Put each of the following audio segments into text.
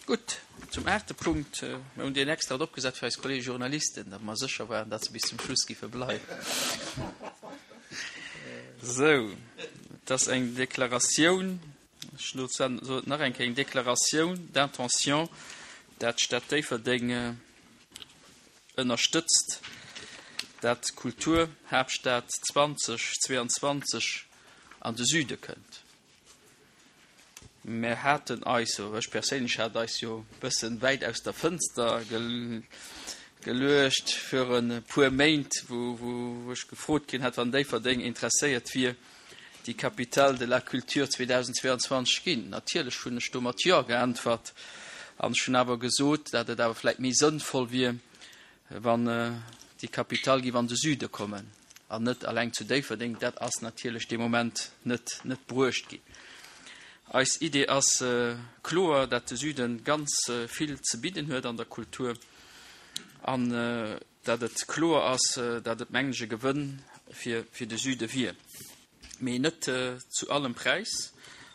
Gutt, zum aachte Punkt. Mir hunn deen extra eropgesat fir eis Kollege Journalisten, datt mer sécher waren, datt se bis zum Schluss giffe bleiwen. Sou, et ass eng Deklaratioun, ech soen et nach eng Kéier, eng Déclaration d'intention, dat d'Stad Déifferdeng ënnerstëtzt, dat d'Kulturhaaptstad 2022 an de Süde kënnt. Mär haten eis, oder ech perséinlech hat eis jo e bëssen wäit aus der Fënster geluecht fir e puer Méint, wou ech gefrot ginn hat, wann Déifferdeng interesséiert wier, déi Capitale de la culture 2022 ginn. Natierlech hunn ech do mat Jo geäntwert an ech hunn awer gesot, dat et awer vläicht méi sënnvoll wier, wann déi Capitale géif an de Süde kommen. an net alleng zu Déifferdeng, dat ass natierlech dee Moment net net bruecht ginn. Eis Idee ass kloer, dat de Süden ganz vill ze bidden huet an der Kultur an dat et kloer ass, dat et mengen ech e Gewënn fir fir de Süde wier, mee net zu allem Präis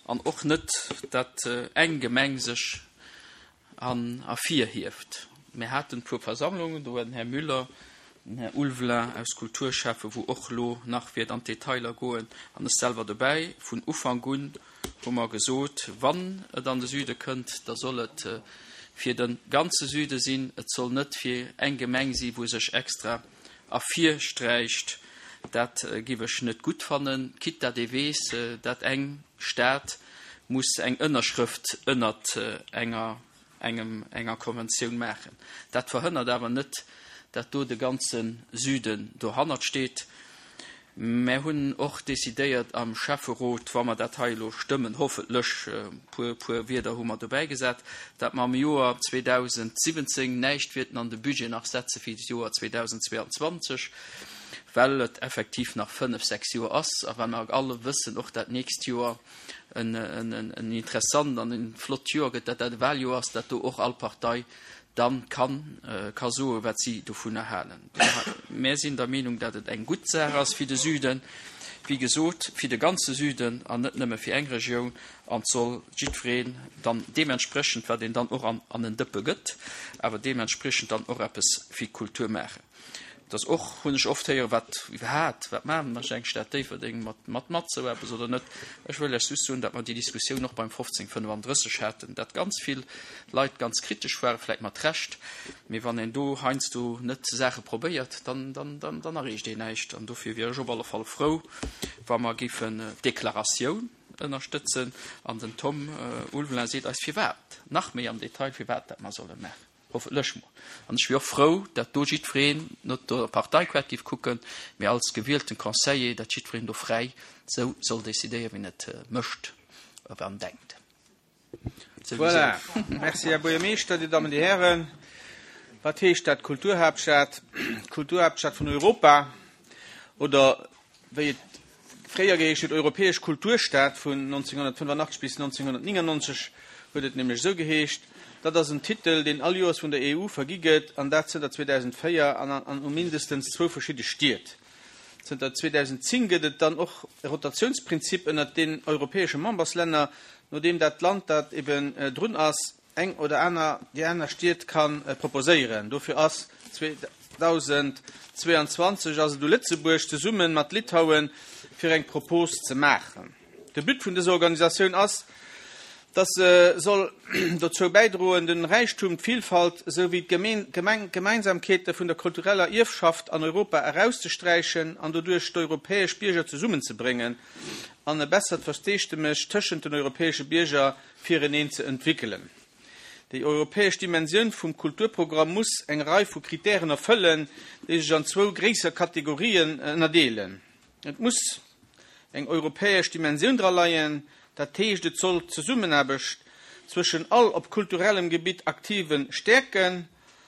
an och net, dat eng Gemeng sech an ervirhieft. Mir haten e puer Versammlungen, do war den Här Müller, den Här Ulveling aus Kulturschäffe, wou och elo nach wäert an d'Detailer goen, an ech selwer dobäi. Vun Ufank un hu mer gesot, wann et an de Süde kënnt, da soll et fir de ganze Süde sinn. Et soll net fir eng Gemeng si wou sech extra ervirsträicht. Dat giff ech net gutt fannen, quitte dat ee weess, dat eng Stad muss eng Ënnerschrëft ënnert enger engem enger Konventioun maachen. Dat verhënnert awer net, dat do de ganze Süden dohannert steet. Mär hunn och decidéiert am Schäfferot, wa mer dat hei elo stëmmen, hoffentlech, e puer puer Wierder hu mer dobäi gesat, dat mer am Joer 2017 näischt wierten an de Budget nach setze fir d'Joer 2022, well et effektiv nach fënnef, sechs Joer ass a well mer alle wëssen och, dat nächst Joer en interessant an e flott Joer gëtt, dat dat e Wahljoer ass, dat do och all Partei dann kann ka soen, wat si dovunner halen. Mär sinn der Meenung, dat et eng gutt Saach ass fir de Süden, wéi gesot, fir de ganze Süden an net nëmme fir eng Regioun, an et soll jiddwereen dann deementsprechend, wat een dann och an en Dëppe gëtt, awer deementspriechend dann och eppes fir d'Kultur maachen. Et ass och, hunn ech oft héieren, wat iwwerhaapt, wat maachen mer eng Stad Déifferdeng mat, mat, mat esou eppes oder net. Ech wëll lech just soen, datt mer déi Diskussioun och beim 1535 haten, dat ganz vill Leit ganz kritesch waren, vläicht mat Recht, mee wann een do heiansdo net Saache probéiert, dann, dann, dann, dann erreecht een näischt. An dofir wier ech op alle Fall frou, wa mer géifen d'Deklaratioun ënnerstëtzen an den Tom Ulveling seet eis firwat, nach méi am Detail, firwat dat mer solle maachen. Hoffentlech mol. An ech wier och frou, dat do jiddwereen net no der Parteiquart géif kucken, mee als gewielten Conseiller, dat jiddwereen do fräi sou soll decidéieren, wéi en et mécht an denkt. Voilà. Merci, Här Buergermeeschter, Dir Dammen, Dir Hären. Wat heescht dat, Kulturhaaptstad? Kulturhaaptstad vun Europa oder wéi et fréier geheescht huet, Europäesch Kulturstad, vun 1985 bis 1999 huet et nämlech esou geheescht. Dat ass en Titel, deen all Joers vun der EU vergi gëtt, an dat zënter 2004 an an u mindestens zwou verschidde Stied. Zënter 2010 gëtt et dann och e Rotatiounsprinzip ënnert den europäesche Memberslänner, no deem dat Land, dat eben drun ass, eng oder aner déi aner Stied ka proposéieren. Dofir ass 2022 ass et u Lëtzebuerg, zesumme mat Litauen, fir eng Propos ze maachen. De But vun dëser Organisatioun ass, dass se soll dozou bäidroen, den Räichtum, d'Vilfalt esou wéi d'Gemeinsamkeete vun der kultureller Ierfschaft an Europa erauszesträichen an doduerch d'europäesch Bierger zesummenzebréngen an e bessert Versteesdemech tëschent den europäesche Bierger fireneen ze entwéckelen. Déi europäesch Dimensioun vum Kulturprogramm muss eng Rei vu Kritären erfëllen, déi sech an zwou gréisser Kategorien ënnerdeelen. Et muss eng europäesch Dimensioun dra leien, dat heescht et soll d'Zesummenaarbecht zwëschen all op kulturellem Gebitt Aktive stäerken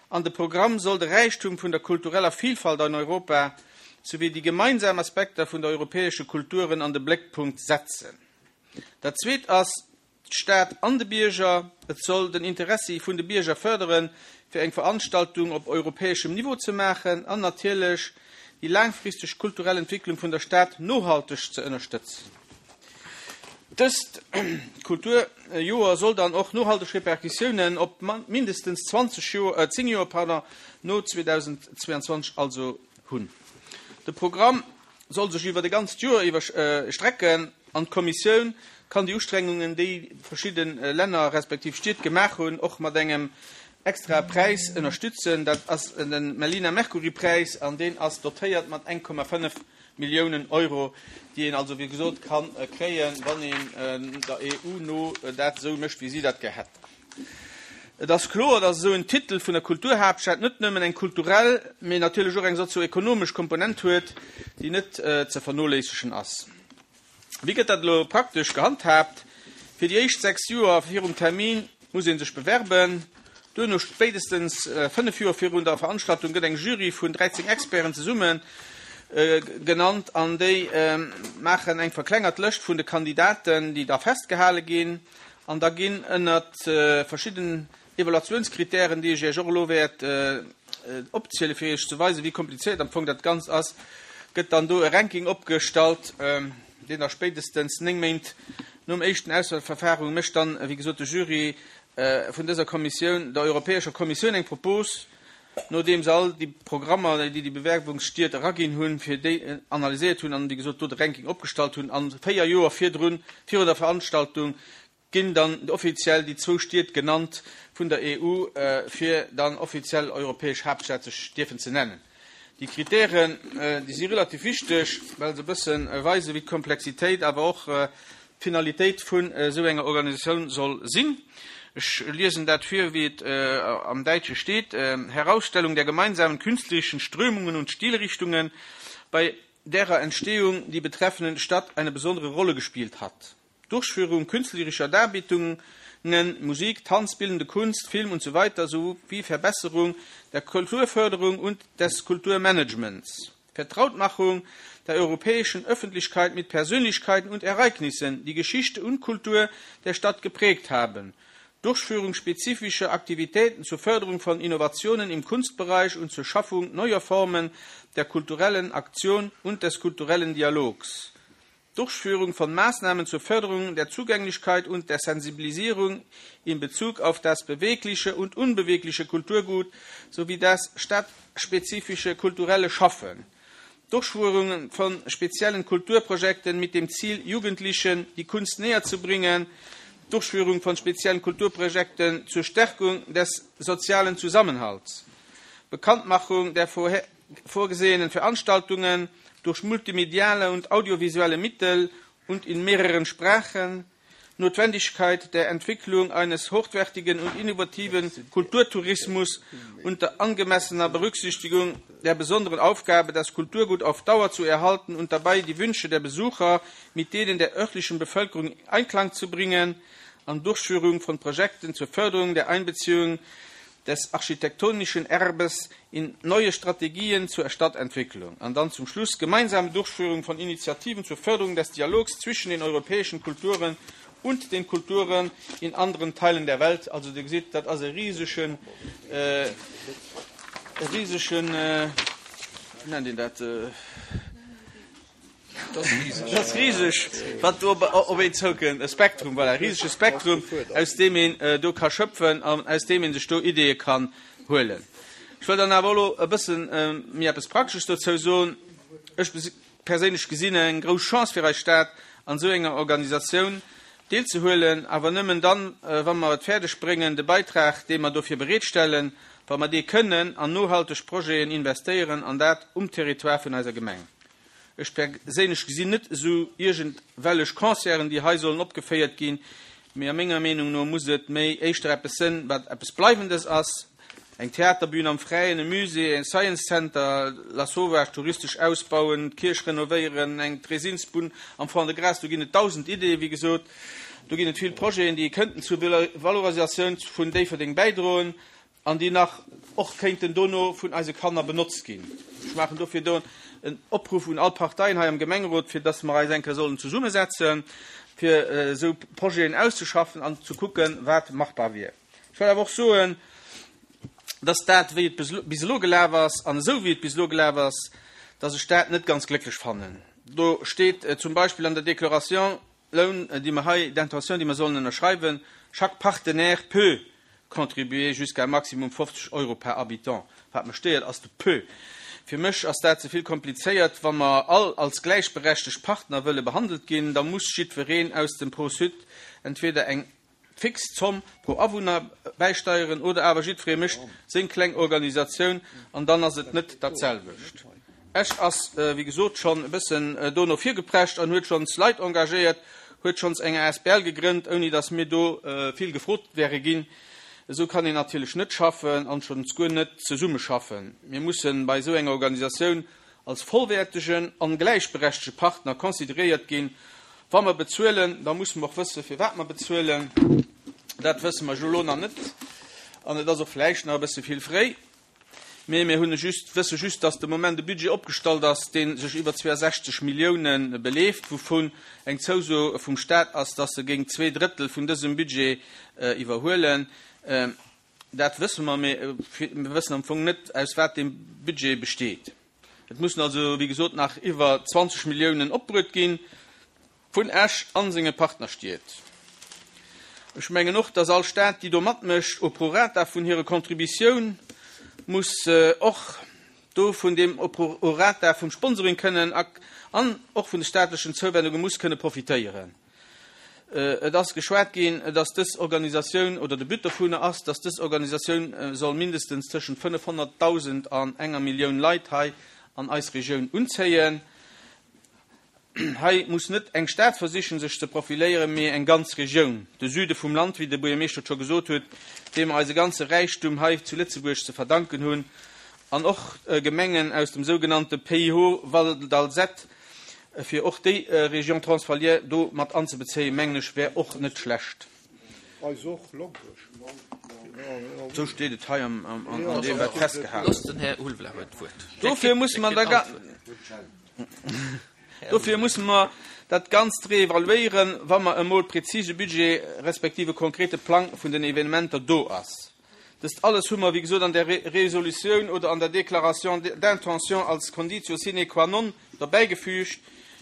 an de Programm soll de Räichtum vun der kultureller Vielfalt an Europa souwéi déi gemeinsam Aspekter vun der europäesche Kulturen an de Bléckpunkt setzen. Dat Zweet ass d'Stad an de Bierger. Et soll den Interessi vun de Bierger fërderen, fir eng Veranstaltung op europäeschem Niveau ze maachen an natierlech déi laangfristeg kulturell Entwicklung vun der Stad nohalteg ze ënnerstëtzen. Dëst Kulturjoer soll dann och nohalteg Repercussiounen op mindestens 20 Joer, 10 Joer, pardon, no 2022 also hunn. De Programm soll sech iwwer e ganzt Joer iwwer strecken an d'Kommissioun kann déi Ustrengungen, déi verschidde Länner respektiv Stied gemaach hunn, och mat engem extrae Präis ënnerstützen. Dat ass de Melina Mercouri Präis an deen ass dotéiert mat 1,5 Milliounen Euro, déi een also wéi gesot ka kréien, wann een der EU no dat esou mécht, wéi si dat gär hätt. Et ass kloer, datt esou en Titel vun der Kulturhaaptstad net nëmmen eng kulturell, mee natierlech och eng sozioekonomesch Komponent huet, déi net ze vernoléissegen ass. Wéi gëtt dat elo praktesch gehandhaabt? Fir déi éischt 6 Joer virum Termin muss ee sech bewerben. Duerno, spéitestens 5 Joer virun der Veranstaltung, gëtt eng Jury vun 13 Experten zesumme genannt an déi maachen eng verklengert Lëscht vun de Kandidaten, déi da festgehale ginn. An da ginn ënnert verschidden Evaluatiounskritären, déi ech Iech och elo wäert opzielen, fir Iech ze weisen, wéi komplizéiert am Fong dat Ganzt ass, gëtt dann do e Ranking opgestallt, deen da spéitestens 9 Méint nom éischten Auswahlverfahrung mécht dann, wéi gesot, de Jury vun dëser Kommissioun der Europäescher Kommissioun eng Propos, nodeem se all déi Programmer, déi déi Bewerbungsstied eraginn hunn, fir déi analyséiert hunn an, wéi gesot, do de Ranking opgestallt hunn. A 4 Joer virdrun, virun der Veranstaltung, ginn dann offiziell déi zwou Stied genannt vun der EU, fir dann offiziell europäesch Haaptstad sech dierfen ze nennen. Déi Kritären, déi si relativ wichteg, well se e bësse weisen, wéi d'Komplexitéit, awer och d'Finalitéit vun esou enger Organisatioun soll sinn. Ech liesen dat vir, wéi et am Däitsche steet, Herausstellung der gemeinsamen künstlerischen Strömungen und Stilrichtungen, bei derer Entstehung die betreffende Stadt eine besondere Rolle gespielt hat. Durchführung künstlerischer Darbietungen, Musik, Tanz, bildende Kunst, Film usw. Sowie Verbesserung der Kulturförderung und des Kulturmanagements. Vertrautmachung der europäischen Öffentlichkeit mit Persönlichkeiten und Ereignissen, die Geschichte und Kultur der Stadt geprägt haben. Durchführung spezifischer Aktivitäten zur Förderung von Innovationen im Kunstbereich und zur Schaffung neuer Formen der kulturellen Aktion und des kulturellen Dialogs. Durchführung von Maßnahmen zur Förderung der Zugänglichkeit und der Sensibilisierung in Bezug auf das bewegliche und unbewegliche Kulturgut sowie das stadtspezifische kulturelle Schaffen. Durchführung von speziellen Kulturprojekten mit dem Ziel, Jugendlichen die Kunst näher zu bringen, Durchführung von speziellen Kulturprojekten zur Stärkung des sozialen Zusammenhalts, Bekanntmachung der vorgesehenen Veranstaltungen durch multimediale und audiovisuelle Mittel und in mehreren Sprachen, Notwendigkeit der Entwicklung eines hochwertigen und innovativen Kulturtourismus unter angemessener Berücksichtigung der besonderen Aufgabe, das Kulturgut auf Dauer zu erhalten und dabei die Wünsche der Besucher mit denen der örtlichen Bevölkerung in Einklang zu bringen, an Durchführung von Projekten zur Förderung der Einbeziehung des architektonischen Erbes in neue Strategien zur Stadtentwicklung. An dann zum Schluss gemeinsame Durchführung von Initiativen zur Förderung des Dialogs zwischen den europäischen Kulturen und den Kulturen in anderen Teilen der Welt. Also Dir gesitt, dat ass e risegen, e risegen, wéi nennt een dat? Dat ass riseg, wat do op een zoukënnt, e Spektrum, voilà, e risege Spektrum, aus deem een do ka schöpfen an aus deem ee sech do Ideeë kann huelen. Ech wëll dann awer elo e bësse méi eppes Praktesches dozou soen. Ech perséinlech gesinn eng grouss Chance fir eis Stad, an esou enger Organisatioun deelzehuelen, awer nëmmen dann, wa mer et fäerdeg bréngen, de Beitrag, dee mer dofir bereetstellen, wa mer dee kënnen an nohalteg Projeten investéieren, an dat um Territoire vun eiser Gemeng. Ech perséinlech gesinn net esou iergendwellech Concerten, déi hei sollen opgeféiert ginn, mee a menger Meenung no muss et méi éischter eppes sënn, wat eppes Bleiwendes ass, eng Theaterbühn am Fräien, e Musée, e Science Center, Lasauvage touristesch ausbauen, d'Kierch renovéieren, eng Dresinsbunn am Fond-de-Gras, do ginn et dausend Ideeë wéi gesot. Do ginn et vill Projeten, déi kënnten zur Valorisatioun vun Déifferdeng bäidroen. An déi nach och kéinten dono vun eise Kanner benotzt ginn. Ech maachen dofir do en Opruff un all Parteien hei am Gemengerot, fir dass mer eis eng Kéier sollen zesummesetzen, fir esou Projeten auszeschaffen an ze kucken, wat machbar wier. Ech wëll awer och soen, dass dat, wéi et bis elo gelaf ass an esou wéi et bis elo gelaf ass, dass ech dat net ganz glécklech fannen. Do steet zum Beispill an der Déclaration. Loun, déi mer hei, d'intention, déi mer sollen ënnerschreiwen, Chaque partenaire peut contribuer jusqu'à un maximum 50 Euro par habitant. Wat mech stéiert, ass de peut. Fir mech ass dat ze vill komplizéiert. Wa mer all als gläichberechtegt Partner wëlle behandelt ginn, da muss jiddwereen aus dem Pro-Sud entweder eng fix Zomm pro Awunner bäisteieren oder awer jiddweree mécht seng kleng Organisatioun an dann ass et net dat selwecht. Esch ass, wéi gesot, schonn e bëssen do no vir geprescht an huet schonns Leit engagéiert, huet schonns eng asbl gegrënnt, ouni datt mir do vill gefrot wäre ginn. Esou kann een natierlech net schaffen an schonns guer net zesummeschaffen. Mir mussen bei esou enger Organisatioun als vollwäertegen an gläichberechtege Partner consideréiert ginn. Wa mer bezuelen, da musse mer och wësse firwat mer bezuelen. Dat wësse mer jo elo nach net an et ass och vläicht nach e bësse vill fréi. Mee mir hunn just, wësse just, dass de Moment e Budget opgestallt ass, dee sech iwwer 62 Milliounen beleeft, wouvun eng Zouso vum Stat ass, dass e géing zweeDrëttel vun dësem Budget iwwerhuelen. Dat wësse mer, mee mir wëssen am Fong net, aus wat dee Budget besteet. Et mussen also, wéi gesot, nach iwwer 20 Milliounen opbruet ginn. Vun Esch an senge Partnerstied. Ech mengen och, dass all Stad, déi do matmécht, au prorata vun hire Contributioun muss och do vun deem au prorata vum Sponsoring kënnen an och vun de staatlechen Zouwendunge muss kënne profitéieren. Et ass geschwat ginn, dass dës Organisatioun, oder de But dovunner ass, dass dës Organisatioun soll mindestens tëschent 500.000 an enger Millioun Leit hei an eis Regioun unzéien. Hei muss net eng Stad versichen, sech ze profiléieren, mee eng ganz Regioun, de Süde vum Land, wéi de Buergermeeschter et scho gesot huet, deem mer eise ganze Räichtum hei zu Lëtzebuerg ze verdanken hunn, an och Gemengen aus dem sougenannte Pays Haut Val d'Alzette, fir och déi Région transfrontalière do mat anzebezéien, mengen ech, wär och net schlecht. Eis och, Lonkech. Esou steet et hei an deem, wat festgehalen ass. Dofir musse mer da. Dofir musse mer dat Ganzt reevaluéieren, wa mer emol prezise Budget respektiv e konkrete Plang vun den Evenementer do ass. Dëst alles hu mer, wéi gesot, an der Resolutioun oder an der Déclaration d'intention als Conditio sine qua non derbäigefügt,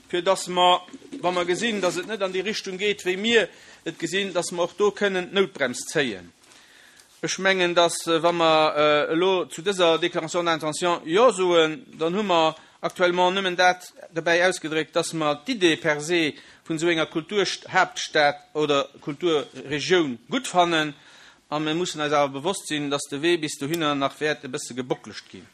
fir dass mer, wa mer gesinn, dass et net an déi Richtung geet, wéi mir et gesinn, dass mer och do kënnen d'Noutbrems zéien. Ech mengen, dass, wa mer elo zu dëser Déclaration d'intention Jo soen, dann hu mer actuellement nëmmen dat dobäi ausgedréckt, dass mer d'Idee per se vun esou enger Kulturhaaptstad oder Kulturregioun gutt fannen. A mir mussen eis awer bewosst sinn, dass de Wee bis dohinner nach wäert e bësse gebockelegt ginn.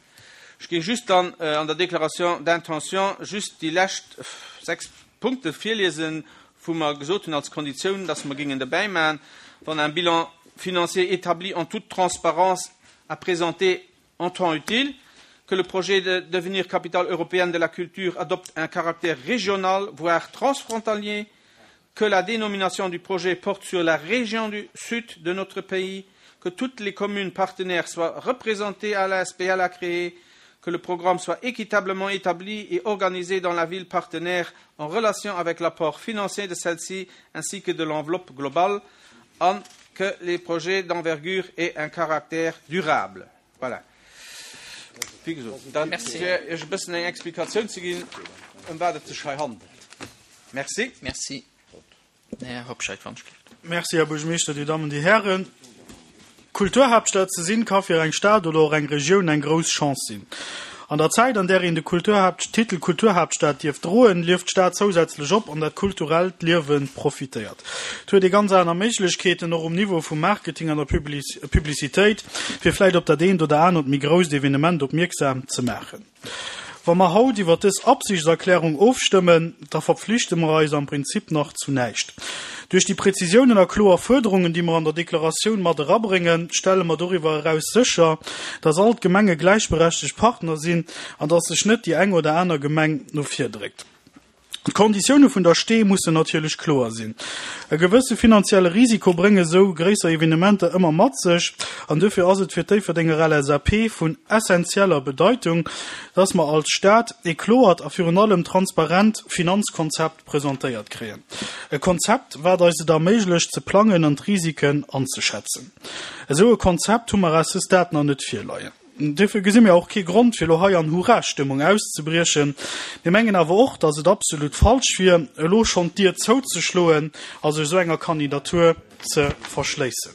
Ech géing just dann an der Déclaration d'intention just déi lescht 6 Punkte virliesen, wou mer gesot hunn als Konditioun, dass mer géingen derbäi maachen, wann un bilan financier établi en toute transparence à présenter en temps utile, que le projet de devenir capitale européenne de la culture adopte un caractère régional, voire transfrontalier, que la dénomination du projet porte sur la région du sud de notre pays, que toutes les communes partenaires soient représentées à la SPL à créer, que le programme soit équitablement établi et organisé dans la ville partenaire en relation avec l'apport financier de celle-ci ainsi que de l'enveloppe globale, an que les projets d'envergure aient un caractère durable. Voilà. Wéi gesot, dat fir Iech e bëssen eng Explikatioun ze ginn, ëm wat et sech hei handelt. Merci. Merci. Här Hobscheit, wann ech gelift. Merci, Här Buergermeeschter, Dir Dammen, Dir Hären. Kulturhaaptstad ze sinn, ka fir eng Stad oder och eng Regioun eng grouss Chance sinn. An der Zäit, an där een de Kulturhaapt Titel Kulturhaaptstad dierf droen, lieft d'Stad zousätzlech op an dat kulturellt Liewe profitéiert. Et huet ee ganz aner Méiglechkeeten, och um Niveau vum Marketing an der Publicitéit, fir vläicht op dat eent oder anert méi grousst Evenement opmierksam ze maachen. Wa mer haut iwwert dës Absichtserklärung ofstëmmen, da verpflichte mer eis am Prinzip nach zu näischt. Duerch déi Präzisiounen a kloer Fuerderungen, déi mer an der Deklaratioun mat erabréngen, stelle mer doriwwer eraus sécher, dass all d'Gemenge gläichberechtegt Partner sinn an dass sech net déi eng oder aner Gemeng no vir dréckt. D'Konditioune vun der Stee mussen natierlech kloer sinn. E gewësse finanzielle Risiko brénge sou gréisser Evenementer ëmmer mat sech an dofir ass et fir d'Déifferdenger LSAP vun essentieller Bedeitung, dass mer als Stad ee kloert a virun allem transparent Finanzkonzept presentéiert kréien. E Konzept, wat eis et erméiglecht ze plangen an d'Risiken anzeschätzen. Esou e Konzept hu mer à ce stade nach net virleien. Duerfir gesi mir och kee Grond, fir elo hei an Hurra-Stëmmung auszebriechen. Mir mengen awer och, datt et absolut falsch wier, elo schonn d'Dier zouzeschloen a sech esou enger Kandidatur ze verschléissen.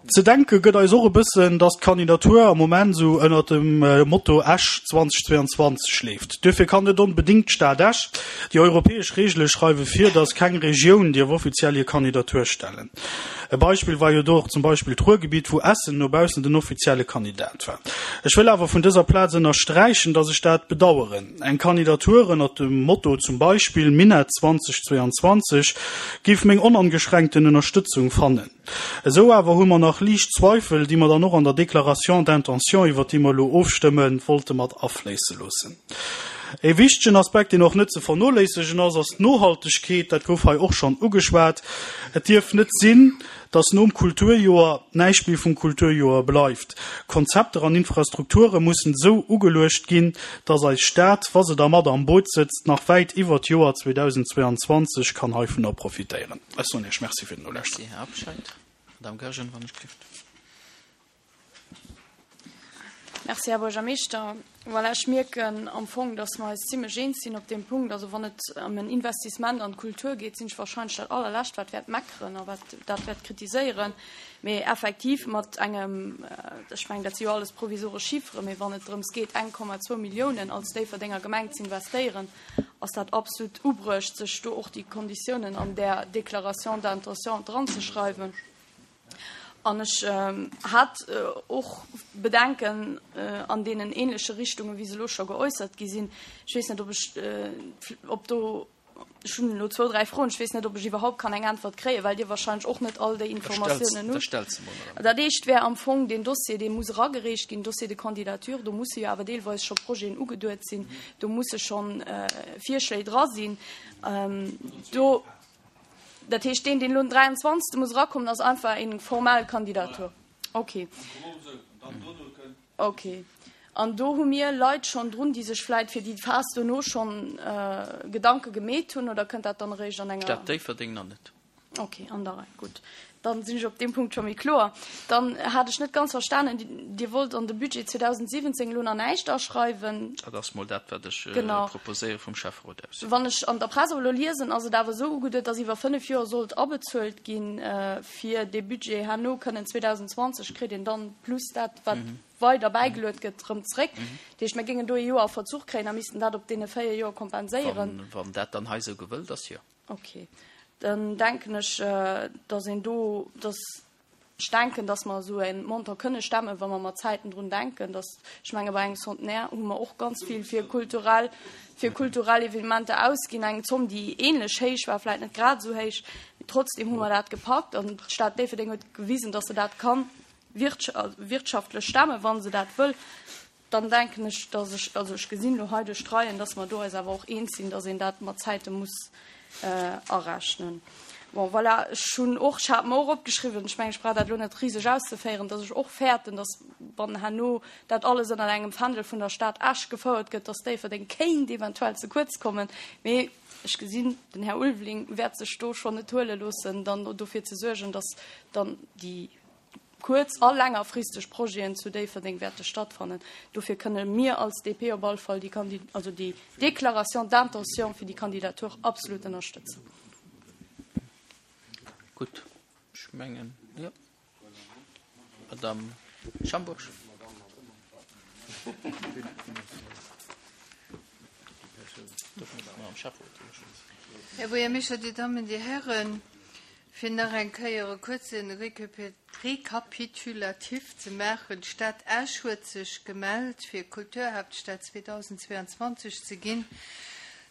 Ze denke gëtt eis och e bëssen, datt d'Kandidatur am Moment esou ënnert dem Motto Esch 2022 leeft. Duerfir kann net onbedéngt d'Stad Esch. Déi europäesch Reegele schreiwe vir, datt keng Regioun dierf offiziell hir Kandidatur stellen. E Beispill war jo do och zum Beispill d'Ruhrgebiet, wou Essen no baussen den offizielle Kandidat war. Ech wëll awer vun dëser Plaz ënnersträichen, datt ech dat bedaueren. Eng Kandidatur ënnert dem Motto zum Beispill Minett 2022 géif meng onangeschränkten Ënnerstëtzung fannen. Esou awer hu mer nach liicht Zweifel, déi mer dann och an der Déclaration d'intention, iwwert déi mer elo ofstëmmen, wollte mat afléisse loossen. E wichtegen Aspekt, deen och net ze vernoléissegen ass, ass d'Nohaltegkeet. Dat gouf hei och schonn ugeschwat. Et dierf net sinn, dass nom Kulturjoer näischt méi vum Kulturjoer bleift. Konzepter an Infrastrukture mussen esou ugeluecht ginn, dass eis Stad, wa se da mat am Boot sëtzt, nach wäit iwwer d'Joer 2022 kann heivunner profitéieren. Ech soen Iech Merci fir den Nolauschteren. Merci, Här Abscheid. Madame Goergen, wann ech dierft. Merci, Här Buergermeeschter. Voilà, ech mierken am Fong, dass mer eis zimlech eens sinn op deem Punkt. Also wann et ëm en Investissement an d'Kultur geet, sinn ech wahrscheinlech dat Allerlescht, wat wäert meckeren a wat dat wäert kritiséieren. Mee effektiv mat engem, ech mengen, dat si jo alles provisoresch Chifferen, mee wann et drëms geet, 1,2 Milliounen als Déifferdenger Gemeng ze investéieren, ass dat absolut ubruecht, sech do och déi Konditiounen an där Déclaration d'intention dranzeschreiwen. An ech hat och Bedenken an deenen ähnleche Richtungen, wéi se elo scho geäussert gi sinn. Ech weess net, ob ech, ob do, ech hunn elo zwou, dräi Froen, ech weess net, ob ech iwwerhaupt kann eng Äntwert kréien, well Dir wahrscheinlech och net all déi Informatiounen hutt. Dat éischt wär am Fong deen Dossier, dee muss eragereecht ginn, Dossier de candidature. Do musse jo awer deelweis scho Projeten ugeduet sinn, do musse schonn Virschléi dra sinn. Do. Dat heescht, deen, deen elo den 23. muss erakommen, ass einfach eng formell Kandidatur. Okay. Okay. An do hu mir Leit schonn drun, déi sech vläit fir déi Phas dono schonn Gedanke gemeet hunn, oder kënnt dat dann eréischt an enger. Stad Déifferdeng nach net. Okay, an der Rei. Gutt. Dann sinn ech op deem Punkt scho méi kloer. Dann hat ech net ganz verstanen, Dir wollt an de Budget 2017 elo nach näischt aschreiwen. Dat ass mol dat, wat ech proposéiere vum Schäfferot aus. Wann ech an der Press awer elo liesen, ass et awer esou ugeduet, datt iwwer 5 Joer sollt abezuelt ginn, fir dee Budget herno kënnen 2020 kritt een dann plus dat, wat weider bäigeluet gëtt, erëm zréck. Dat heescht, mir géingen do ee Joer a Verzuch kréien a missten dat op deene 4 Joer kompenséieren. Wann dat dann hei esou gewëllt ass, jo. Ok, dann denken ech, dass een do, dass ech denken, dass mer esou e Montant kënne stemmen, wa mer mat Zäiten drun denken, dass, ech menge bei engem Centenaire hu mer och ganz vill fir kulturell, fir kulturell Evenementer ausginn, eng Zomm, déi ähnlech héich war, vläicht net grad esou héich, mee trotzdem hu mer dat gepackt an d'Stad Déifferdeng huet gewisen, dass se dat kann wirtschaftlech stemmen, wa se dat wëll. Dann denken ech, dass ech, also ech gesinn elo hei duerch d'Reien, dass mer do eis awer och eens sinn, dass een dat mat Zäite muss arechnen. Bon, voilà, ech hunn och, ech hat mer och opgeschriwwen, ech mengen, ech brauch dat elo net riseg auszeféieren, dass ech och fäerten, dass, wann herno dat alles ënner engem Fändel vun der Stad Esch gefouert gëtt, dass Déifferdeng kéint eventuell ze kuerz kommen. Mee ech gesinn, den Här Ulveling wäert sech do schonn net huele loossen, dann dofir ze suergen, dass dann déi kuerz a längerfristeg Projeten zu Déifferdeng wäerte stattfannen. Dofir kënne mir als DP op all Fall déi Kandi-, also déi Déclaration d'intention fir déi Kandidatur absolut ënnerstëtzen. Gutt, ech mengen, jo. Madame Schambourg. Här Buergermeeschter, Dir Dammen, Dir Hären, Fir nach eng Kéier e kuerze Rekapitulatif ze maachen, D'Stad Esch huet sech gemellt, fir Kulturhaaptstad 2022 ze ginn.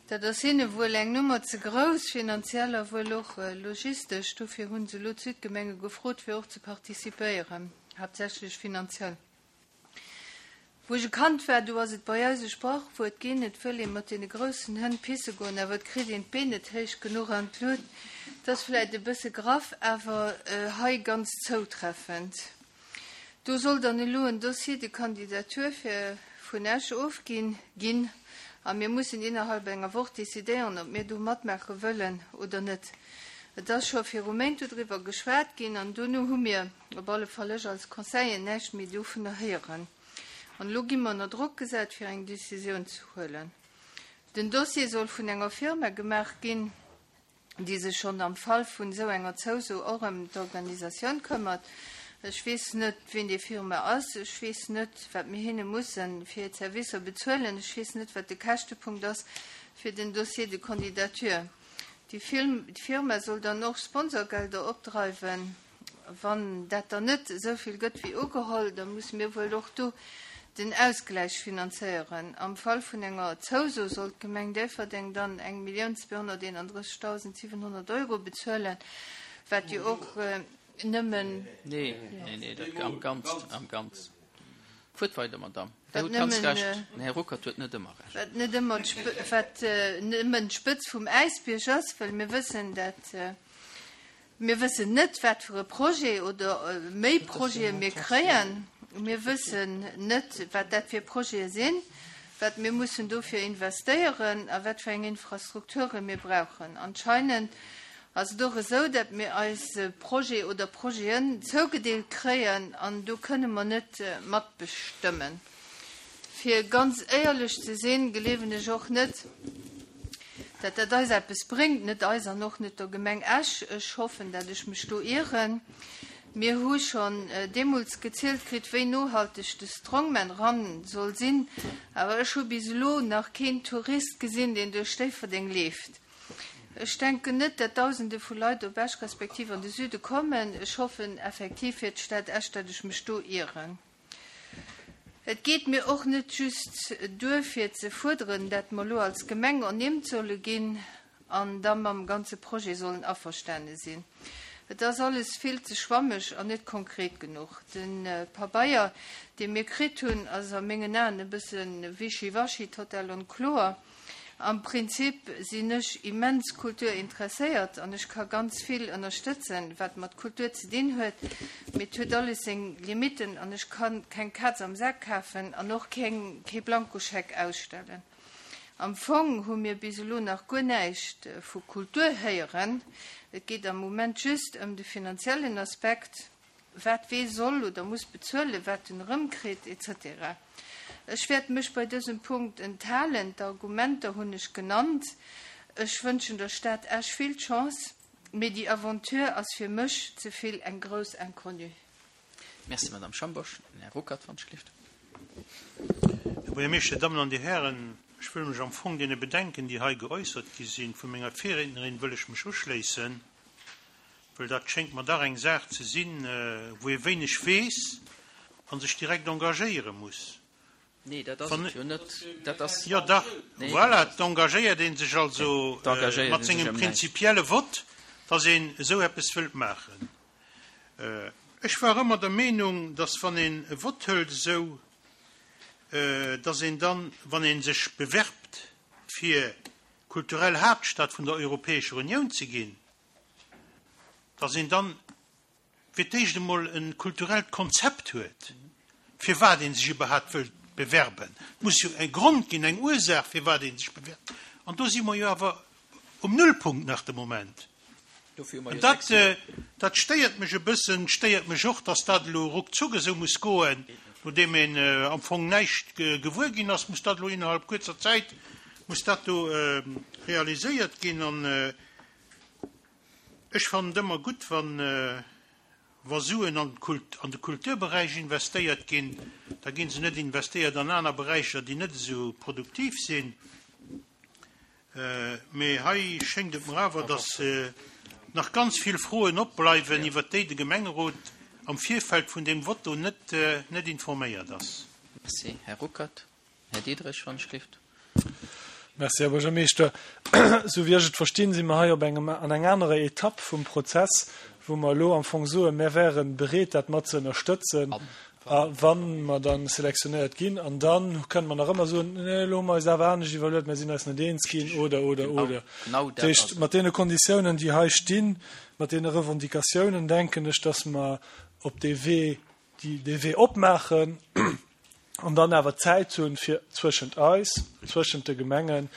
Dat ass hinne wuel eng Nummer ze grouss, finanziell a wuel och logistesch. Dofir hu se elo d'Südgemenge gefrot, fir och ze participéieren, haaptsächlech finanziell. Wou ech e Kand war, do ass et bei eis e Sprachwuert ginn, Et wëll ee mat deene groussen Hënn pisse goen, awer et kritt een d'Been net héich genuch an d'Lut. Dat ass vläicht e bësse graff, awer hei ganz zoutreffend. Do soll dann elo en Dossier de candidature fir vun Esch ofginn ginn a mir mussen innerhalb enger Woch decidéieren, ob mir do matmaache wëllen oder net. Et ass scho viru Méint dodriwwer geschwat ginn an dono hu mir, op alle Fall ech als Conseiller, näischt méi dovunner héieren. An elo gi mer ënner Drock gesat, fir eng Decisioun ze huelen. Den Dossier soll vun enger Firma gemaach ginn, déi sech schonn am Fall vun esou enger Zouso och ëm d'Organisatioun këmmert. Ech weess net, wien déi Firma ass. Ech weess net, wat mir hinne musse fir hir Servicer bezuelen. Ech weess net, wat de Käschtepunkt ass fir den Dossier de candidature. Déi Firma soll dann och Sponsorgelder opdreiwen. Wann dat dann net esou vill gëtt wéi ugeholl, da musse mir wuel och do den Ausgläich finanzéieren. Am Fall vun enger Zouso soll d'Gemeng Déifferdeng dann 1.231.700 Euro bezuelen, wat jo och nëmmen. Nee, nee, nee, dat am Ganzen, am Ganzen. Fuert weider, Madame. Dir hutt ganz Recht, den Här Ruckert huet net ëmmer Recht. Wat net ëmmer wat nëmmen d'Spëtz vum Äisbierg ass, well mir wëssen, dat Mir wëssen net, wat fir e Projet oder méi Projete mir kréien. Mir wëssen net, wat dat fir Projete sinn, wat mir mussen dofir investéieren a wat fir eng Infrastrukture mir brauchen. Anscheinend ass et och esou, datt mir eis e Projet oder Projeten zougedeelt kréien an do kënne mer net matbestëmmen. Fir ganz éierlech ze sinn, gleewen ech och net, dat dat eis eppes bréngt, net eis an och net der Gemeng Esch. Ech hoffen, dat ech mech do ieren. Mir hu schonn deemools gezielt kritt, wéi nohalteg de Strongman Run soll sinn, awer ech hu bis elo nach keen Tourist gesinn, deen duerch Déifferdeng leeft. Ech denken net, dat Dausende vu Leit op Esch respektiv an de Süde kommen. Ech hoffen effektiv fir d'Stad Esch, dat ech mech do ieren. Et geet mir och net just duer fir ze fuerderen, dat mer elo als Gemeng ernimmt solle ginn an da mam ganze Projet sollen averstane sinn. Et ass alles vill ze schwammeg an net konkret genuch. De Pabeier, dee mir kritt hunn, ass a mengen Aen e bësse wischiwaschi, total onkloer. Am Prinzip sinn ech immens kulturinteresséiert an ech ka ganz vill ënnerstëtzen, wat mat Kultur ze dinn huet, mee et huet alles seng Limitten an ech ka keng Kaz am Sak kafen an och keng kee Blankoscheck ausstellen. Am Fong hu mir bis elo nach guer näischt vu Kultur héieren. Et geet am Moment just ëm de finanziellen Aspekt. wat wee soll oder muss bezuelen, wat en erëmkritt, etc. Ech wäert mech bei dësem Punkt enthalen. D'Argumenter hunn ech genannt. Ech wënschen der Stad Esch vill Chance, mee déi Aventure ass fir mech ze vill eng grouss Inconnue. Merci, Madame Schambourg. Den Här Ruckert, wann ech gelift. Här Buergermeeschter, Dir Dammen an Dir Hären, ech wëll mech am Fong deene Bedenken, déi hei geäussert gi sinn, vu menger Virriednerin wëll ech mech uschléissen. Well dat schéngt mer dach eng Saach ze sinn, wou ee wéineg weess a sech direkt engagéiere muss. Nee, dat ass et jo net. Dat ass. Jo dach, voilà, et engagéiert ee sech also mat sengem prinzipielle Vott, dass een esou eppes wëllt maachen. Ech war ëmmer der Meenung, dass wann een e Vott hëlt esou, dass een dann, wann ee sech bewerbt fir kulturell Haaptstad vun der Europäescher Unioun ze ginn, dass een dann fir d'éischt emol e kulturellt Konzept huet, firwat ee sech iwwerhaapt wëllt bewerben. Et muss jo e Grond ginn, eng Ursaach, firwat ee sech bewerbt. An do si mer jo awer um Nullpunkt nach de Moment. An dat, dat stéiert mech e bëssen, stéiert mech och, dass dat elo ruckzuck esou muss goen, nodeem een am Fong näischt gewuer ginn ass, muss dat elo innerhalb kuerzer Zäit, muss dat do realiséiert ginn. An Ech fannen et ëmmer gutt, wann, wa Suen an an de Kulturberäich investéiert ginn, da gi se net investéiert an aner Beräicher, déi net esou produktiv sinn. Mee hei schéngt et mer awer, datt nach ganz vill Froen opbleiwen, iwwert déi de Gemengerot am Virfeld vun deem Vott do net, net informéiert ass. Merci, Här Ruckert. Här Diderich, wann ech gelift. Merci, Här Buergermeeschter. Esou wéi ech et verstinn, si mer hei op engem, an enger anerer Etapp vum Prozess, wou mer elo am Fong soen, mär wäre bereet, dat mat ze ënnerstëtzen, a wa mer da selektionéiert ginn. An da kënne mer nach ëmmer soen, Nee, elo hu mer eis awer anescht iwwerluet, mär sinn eis net eens ginn, oder, oder, oder. Dat heescht, mat deene Konditiounen, déi hei stinn, mat deene Revendicatiounen, denken ech, dass mer op dee Wee, dee Wee opmaachen an dann awer Zäit hunn, fir zwëschent eis, zwëschent de Gemengen.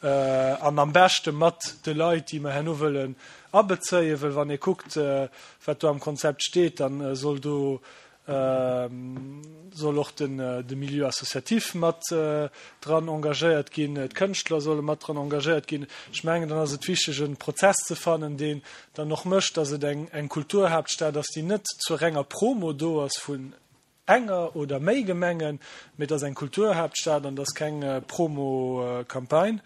An am beschte mat de Leit, déi mer herno wëllen abezéien, well wann ee kuckt, wat do am Konzept steet, da soll do soll och de Milieu associatif mat dran engagéiert ginn, d'Kënschtler solle mat dran engagéiert ginn. Ech mengen, dann ass et wichteg, e Prozess ze fannen, deen dann och mécht, dass et eng Kulturhaaptstad ass, déi net zur renger Promo do ass vun enger oder méi Gemengen, mee et ass eng Kulturhaaptstad an et ass keng Promo-Campagne.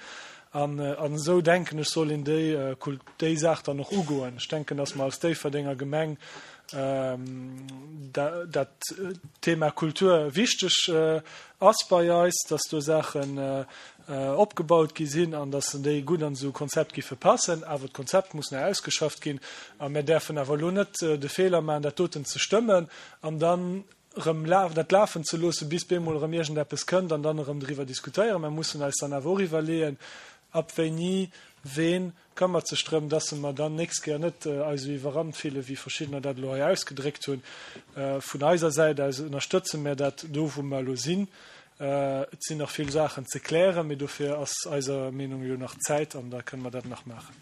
An esou, denken ech, soll een déi déi Saach dann och ugoen. Ech denken, dass mer als Déifferdenger Gemeng dat Thema Kultur wichteg ass bei eis, dass do Saachen opgebaut gi sinn an dass déi gutt an esou e Konzept giffe passen. Awer d'Konzept muss nach ausgeschafft ginn a mir däerfen awer elo net de Feeler maachen, dat doten ze stëmmen an dann erëm dat lafen ze loossen, bis bemol erëm iergendeppes kënnt an dann erëm driwwer diskutéieren. Mer mussen eis dann awer och iwwerleeën, ab wéini ween këmmert sech drëm, dass mer dann nächst Kéier net eis esou iwwerrannt fillen, wéi verschiddener dat elo hei ausgedréckt hunn. Vun eiser Säit aus ënnerstëtze mer dat do, wou mer elo sinn. Et sinn nach vill Saachen ze klären, mee dofir ass eiser Meenung jo nach Zäit an da kënne mer dat nach maachen.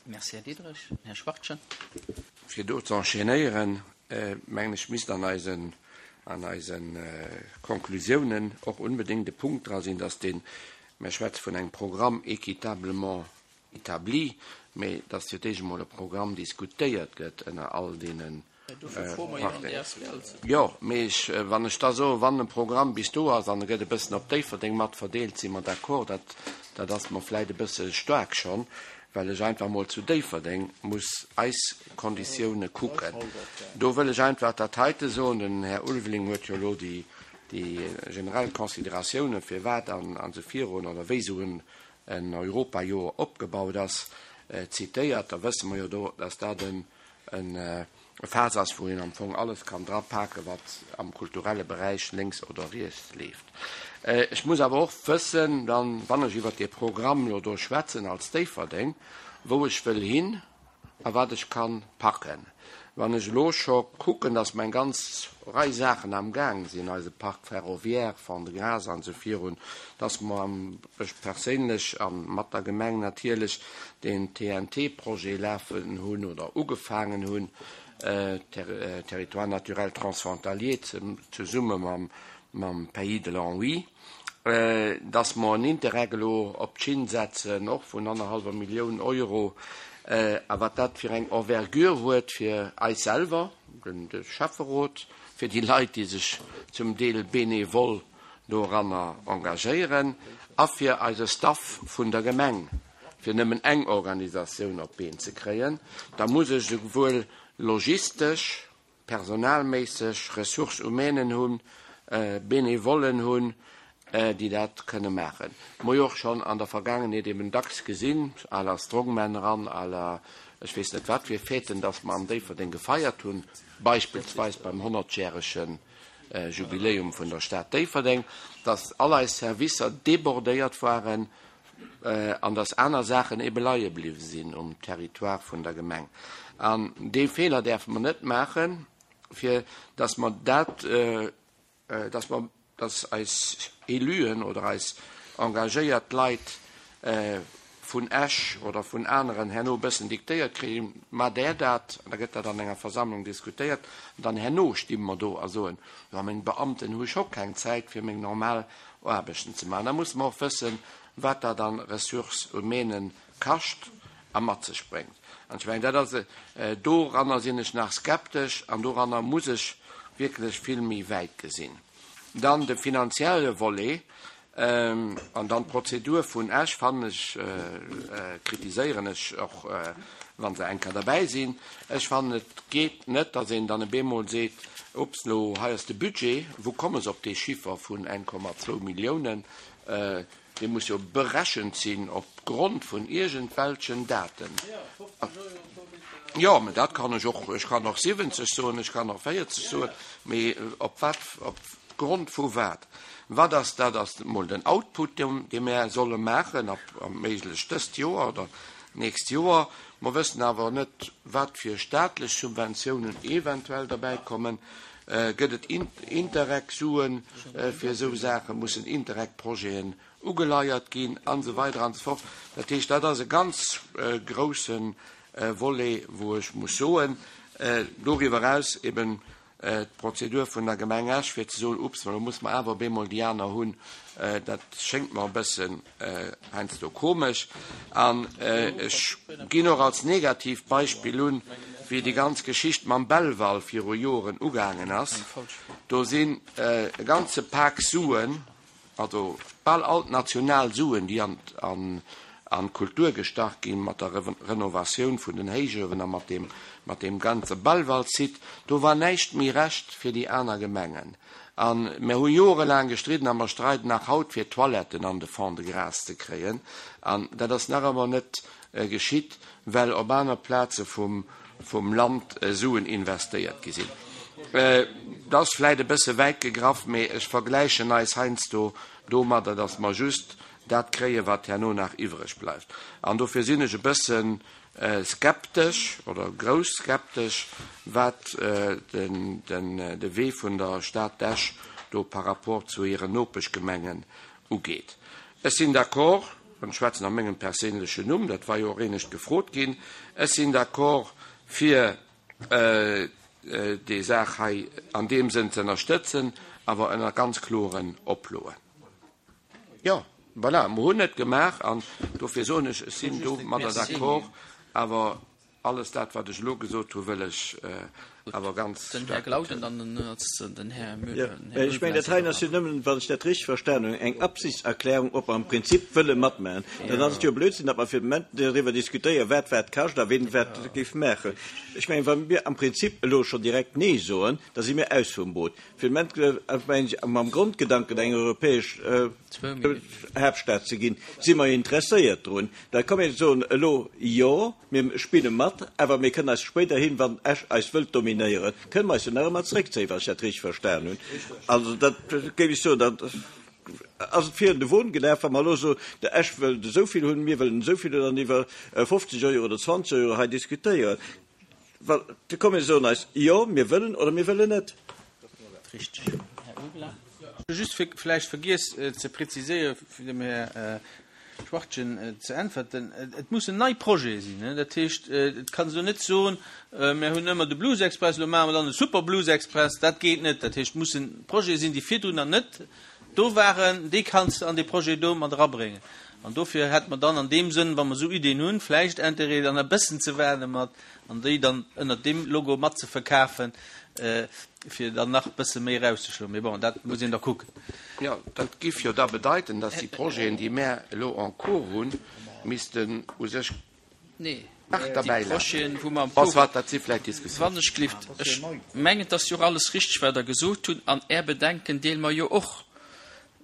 Merci, Här Diderich. Här Schwachtgen. Fir do ze enchaînéieren, mengen ech, misst an eisen, an eise Konklusiounen och unbedéngt e Punkt dra sinn, dass deen, mir schwätze vun engem Programme équitablement établi, mä dass fir d'éischt emol e Programm diskutéiert gëtt ënner all deene Jo, mee ech, wann ech da soen, wann e Programm bis do ass an e gëtt e bëssen op Déifferdeng mat verdeelt, si mer d'accord. Dat, dat ass mer vläicht e bësse staark schonn, well ech einfach emol zu Déifferdeng muss eis Konditioune kucken. Do wëll ech einfach dat heite soen, den Här Ulveling huet jo elo déi, déi generell Consideratiounen, firwat an esou virun oder wéi esou en, en Europajoer opgebaut ass, zitéiert. Da wësse mer jo do, dass dat en, e Faass ass, wou een am Fong alles kann drapaken, wat am kulturelle Beräich lénks oder riets leeft. Ech muss awer och wëssen, dann, wann ech iwwert dee Programm elo do schwätzen als Déifferdeng, wou ech wëll hin a wat ech ka packen. Wann ech elo scho kucken, dass mer eng ganz Rei Saachen am Gaang sinn, eise Parc ferroviaire, Fond-de-Gras an esou virun, dass mer am, ech perséinlech a mat der Gemeng natierlech, deen TNT-Projet lafen hunn oder ugefaangen hunn, Territoire naturel transfrontalier, zesumme mam Pays de l'Anhui, dass mer en Interreg elo op d'Schinn setzen, och vun annerhallwer Millioun Euro, a wat dat fir eng Envergure huet fir eis selwer, de Schäfferot, fir déi Leit, déi sech zum Deel bénévol doranner engagéieren, a fir eise Staff vun der Gemeng. fir nëmmen eng Organisatioun op d'Been ze kréien, da muss ech esouwuel logistesch, personalméisseg Ressources humainen hunn, Benevollen hunn, déi dat kënne maachen. Mer hu jo och schonn an der Vergaangenheet eben dacks gesinn, à la Strongman eran, à la ech weess net wat fir Fêten, dass mer an Déifferdeng gefeiert hunn, beispillsweis beim honnertjärege Jubiläum vun der Stad Déifferdeng, dass all eis Servicer débordéiert waren, an dass aner Saachen ebe leie bliwwe sinn um Territoire vun der Gemeng. An dee Feeler däerfe mer net maachen, fir dass mer dat, dass mer, dass eis Éluen oder eis engagéiert Leit vun Esch oder vun aneren herno e bëssen diktéiert kréien, Maacht Der dat, an da gëtt dat an enger Versammlung diskutéiert, an dann herno sti mer do a soen, Jo, meng Beamten hu scho keng Zäit fir meng normal Aarbechten ze maachen. Da musse mer och wëssen, wat dat an Ressources humaines kascht a mat sech bréngt. An ech mengen, dat ass, doranner sinn ech nach skeptesch an doranner muss ech wierklech vill méi wäit gesinn. Dann de finanzielle Volet an dann d'Prozedur vun Esch fannen ech, kritiséieren ech och, wa se eng Kéier derbäi sinn. Ech fannen, et geet net, datt een dann e bemol seet, Ups, elo hei ass de Budget, wou komme se op dee Chiffer vun 1,2 Milliounen? Dee muss jo berechent sinn op Grond vun iergendwelchen Daten. Jo, mä dat kann ech och, ech kann och 70 soen, ech kann och 40 soen, mee op wat, op Grond vu wat? Wat ass dat? Ass emol den Output, dee mär solle maachen, ab méiglech dëst Joer oder d'nächst Joer. Mer wëssen awer net, wat fir staatlech Subventiounen eventuell derbäi kommen. Gëtt et Interreg-Suen fir esou Saachen? Mussen Interreg-Projeten. ugeleiert ginn an esou weider an esou fort. Dat heescht, dat ass e ganz grousse Volet, wou ech muss soen, doriwwer eraus eben d'Prozedur vun der Gemeng Esch, fir ze soen, Ups, elo musse mer awer op eemol déi aner hunn, dat schéngt mer e bëssen heiansdo komesch. An ech ginn och als negativt Beispill un, wéi déi ganz Geschicht mam Belval viru Joren ugaangen ass. Do sinn e ganze Pak Suen, Also bal all d'national Suen, déi an d'Kultur gestach ginn, mat der Renovatioun vun den Héichuewen a mat deem, mat deem ganze Belval-Site, do war näischt méi Rescht fir déi aner Gemengen. A mir hu jorelaang gestridden a mer streiden nach haut, fir d'Toiletten an de Fonds de grâce ze kréien. An dat ass nach ëmmer net geschitt, well op aner Plaze vum vum Land Suen investéiert gi sinn. Dat ass vläit e bësse wäit gegraff, mee ech vergläichen eis heiansdo domadder, datt mer just dat kréien, wat herno nach iwwreg bleift. An dofir sinn ech e bësse skeptesch oder grouss skeptesch, wat de Wee vun der Stad Esch do par rapport zu hiren Nopeschgemengen ugeet. Ech sinn d'accord, an ech schwätzen a mengem perséinlechen Numm, dat war jo och éinescht gefrot ginn, ech sinn d'accord fir déi Saach hei an deem Sënn ze ënnerstëtzen, awer ënner ganz kloren Oploen. Jo, voilà, mer hunn et gemaach an dofir soen ech, ech sinn domadder d'accord, awer Alles dat, wat ech elo gesot hu, wëll ech awer ganz staark betonen. Ech mengen, dat heien ass jo nëmmen, wann ech dat richteg verstanen hunn, eng Absichtserklärung, ob mer am Prinzip wëlle matmachen. Dann ass et jo Blödsinn, datt mer fir de Moment doriwwer diskutéieren, wat wat kascht a wien wat géif maachen. Ech mengen, wa mir am Prinzip elo schonn direkt Nee soen, da si mir aus vum Boot. Fir de Moment, mengen ech, mam Grondgedanken, eng europäesch Haaptstad ze ginn, si mer interesséiert drun. Da kann een soen, elo, jo, mir spille mat, awer mir kënnen eis spéiderhin, wann Esch eis wëllt dominéieren, kënnen mer eis jo nach ëmmer zréckzéien, wann ech dat richteg verstan hunn. Also dat géif ech soen, dat ass et virun de Won gelaf, wa mer elo soen, de Esch wëllt esou vill hunn, mir wëllen esou vill hunn, an iwwer 50 Euro oder 20 Euro hei diskutéieren. Well da komm mir soen eis, jo, mir wëllen oder mir wëllen net. Richteg, Här Uebler. Just fir vläicht vergiess ze preziséieren, fir dem Här Schwachtgen ze äntwerten, Et mussen nei Projete sinn. Dat heescht, et kanns elo net soen, mir hunn ëmmer de Blues Express, elo maache mer dann de Super Blues Express. Dat geet net. Dat heescht, et mussen Projete sinn, déi virdrun nach net do waren. Déi kanns de an dee Projet do mat erabréngen. An dofir hätte mer dann an deem Sënn, wa mer esou Iddien hunn, vläicht Intérêt, dann e bëssen ze waarde mat an déi dann ënnert deem Logo mat ze verkafen, fir dann nach e bësse méi erauszeschloen. Mee bon, dat muss een da kucken. Jo, dat giff jo da bedeiten, dass déi Projeten, déi mär elo en cours hunn, missten u sech nach derbäi lafen. Bon, soit, dat si vläicht Diskussiounen. Wann ech glift, ech mengen, et ass jo och alles richteg, wat Der gesot hutt, an Är Bedenken deele mer jo och.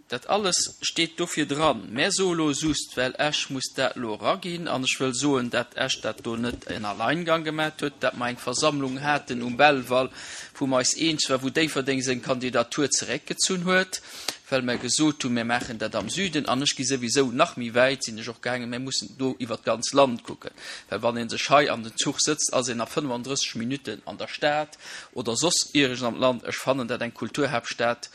Dat alles steet dofir dran. Mä so elo just, well Esch muss dat elo eraginn, an ech wëll soen, dat Esch dat do net en Alleingang gemat huet, dat mer eng Versammlung haten um Belval, wou mer eis eens war, wou Déifferdeng seng Kandidatur zeréckgezunn huet, well mer gesot hunn, mir maachen dat am Süden. An ech gi souwisou nach méi wäit, sinn ech och gaangen, mir mussen do iwwert d'ganz Land kucken, well wann ee sech hei an den Zuch sëtzt, ass een a 35 Minutten an der Stad oder soss iergends am Land. Ech fannen dat eng Kulturhaaptstad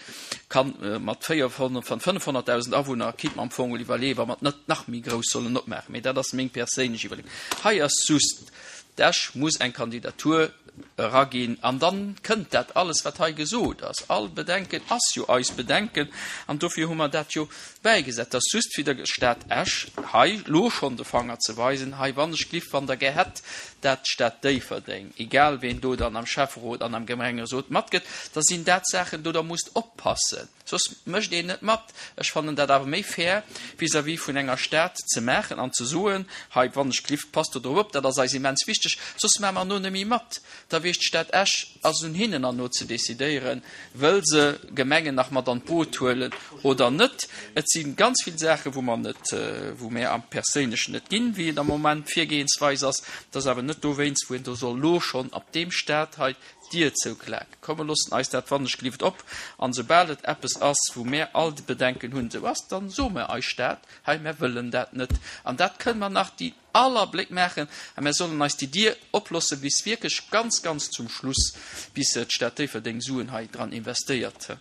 kann mat 500.000 Awunner kinnt mer am Fong mol iwwerleeën, wa mer et net nach méi grouss sollen opmaachen. Mee dat ass meng perséinlech Iwwerleeung. Hei ass just, d'Esch muss eng Kandidatur eraginn an dann kënnt dat alles, wat hei gesot ass. All Bedenken ass jo eis Bedenken an dofir hu mer dat jo bäigesat. Et ass just fir der Stad Esch hei elo schonn de Fanger ze weisen, hei wann ech gliff, wann Der gär hätt, dat d'Stad Déifferdeng, egal ween do dann am Schäfferot an am Gemengerot matgëtt, da sinn dat Saachen, do Der musst oppassen, soss mécht een net mat. Ech fannen dat awer méi fair vis-à-vis vun enger Stad ze maachen an ze soen, hei wann ech glift, passt do drop op, dat ass eis immens wichteg, soss maache mer no net méi mat. Da weess d'Stad Esch, ass un hinnen an no ze decidéieren, Wëll se Gemengen nach mat an d'Boot huelen oder net? Et si ganz vill Saachen, wou mer net, wou mär am Perséinlechen net ginn, wéi et am Moment d'Virgehensweis ass. Et ass awer net dowéinst, wou een do soll elo schonn ab deem Stad hei d'Dier zouklaken. Komm, mer loossen eis dat wannechgelift op, an esoubal et eppes ass, wou mär all déi Bedenken hunn, esou ass, dann soe mer eis Stad, hei, mär wëllen dat net. An dat kënne mer nach déi aller Bléck maachen a mär sollen eis déi Dier oplosse bis wierklech ganz, ganz zum Schluss, bis d'Stad Déifferdeng Suen hei dran investéiert.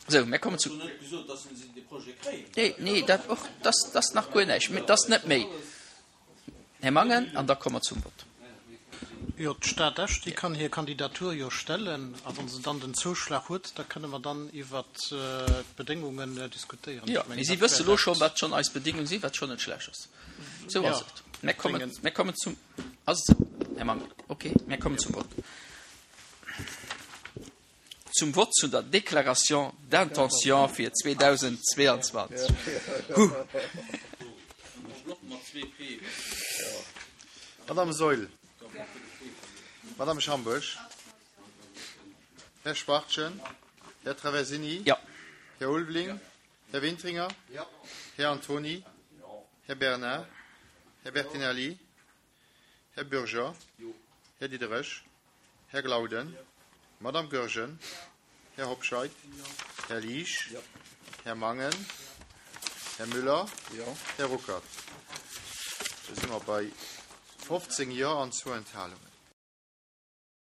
Sou, mir kommen zu. Nee, nee, dat och, dat ass nach guer näischt. Dat ass net méi. Här Mangen, an da komme mer zum Vott. Jo, d'Stad Esch, déi kann hir Kandidatur jo stellen, a wa se dann den Zouschlag huet, da kënne mer dann iwwert d'Bedéngungen diskutéieren. Jo, mee si wësse lo schonn, wat schonn eis Bedéngung sinn, wat schonn net schlecht ass. Esou ass et. Mir kommen, mir kommen zum, ass et esou, Här Mangen? Okay, mir kommen zum Vott. Zum Vott zu der Déclaration d'intention fir 2022. Huh. Madame Saeul. Madame Schambourg. Här Schwachtgen. Här Traversini. Jo. Här Ulveling. Här Wintringer. Här Antony. Här Bernard. Här Bertinelli. Här Bürger. Här Diderich. Här Glauden. Madame Goergen. Här Hobscheit. Här Liesch. Här Mangen. Här Müller. Här Ruckert. Da si mer bei 15 Jo an zwou Enthalungen.